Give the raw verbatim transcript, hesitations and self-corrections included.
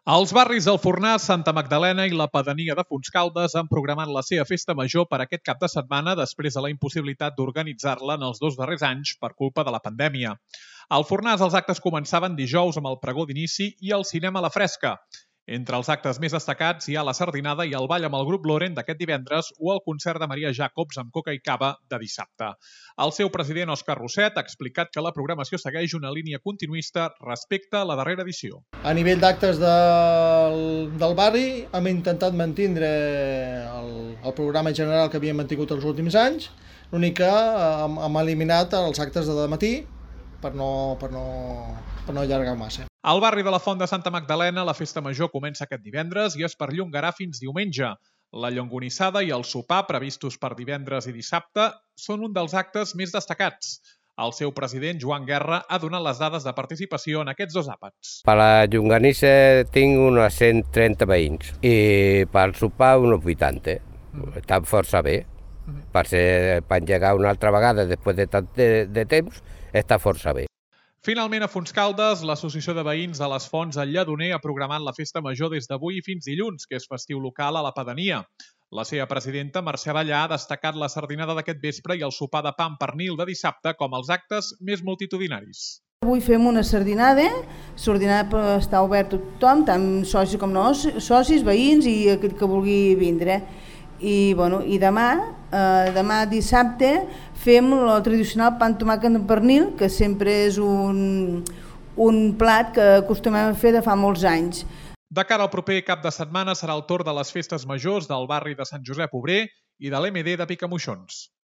Els barris del Fornàs, Santa Magdalena i la pedania de Fontscaldes han programat la seva festa major per aquest cap de setmana després de la impossibilitat d'organitzar-la en els dos darrers anys per culpa de la pandèmia. Al Fornàs els actes començaven dijous amb el pregó d'inici i el cinema a la fresca. Entre els actes més destacats hi ha la sardinada i el ball amb el grup Loren d'aquest divendres o el concert de Maria Jacobs amb coca i cava de dissabte. El seu president, Òscar Rosset, ha explicat que la programació segueix una línia continuista respecte a la darrera edició. A nivell d'actes del, del barri hem intentat mantindre el, el programa general que havíem mantingut els últims anys, l'únic que hem, hem eliminat els actes de dematí per no, per no, per no allargar massa. Al barri de la Font de Santa Magdalena, la festa major comença aquest divendres i es perllongarà fins diumenge. La llonganissada i el sopar, previstos per divendres i dissabte, són un dels actes més destacats. El seu president, Joan Guerra, ha donat les dades de participació en aquests dos àpats. Per la llonganissa tinc uns cent trenta veïns i pel sopar uns vuitanta. Mm. Està força bé. Mm. Per, ser, per engegar una altra vegada després de tant de, de temps, està força bé. Finalment, a Fontscaldes, l'Associació de Veïns de les Fonts al Lledoner ha programat la festa major des d'avui fins dilluns, que és festiu local a la pedania. La seva presidenta, Mercè Ballà, ha destacat la sardinada d'aquest vespre i el sopar de pa amb pernil de dissabte com els actes més multitudinaris. Avui fem una sardinada, sardinada està obert a tothom, tant socis com no socis, veïns i aquell que vulgui vindre. I, bueno, i demà, eh, demà dissabte, fem el tradicional pa amb tomàquet amb pernil, que sempre és un, un plat que acostumem a fer de fa molts anys. De cara al proper cap de setmana serà el torn de les festes majors del barri de Sant Josep Obrer i de l'M D de Picamoixons.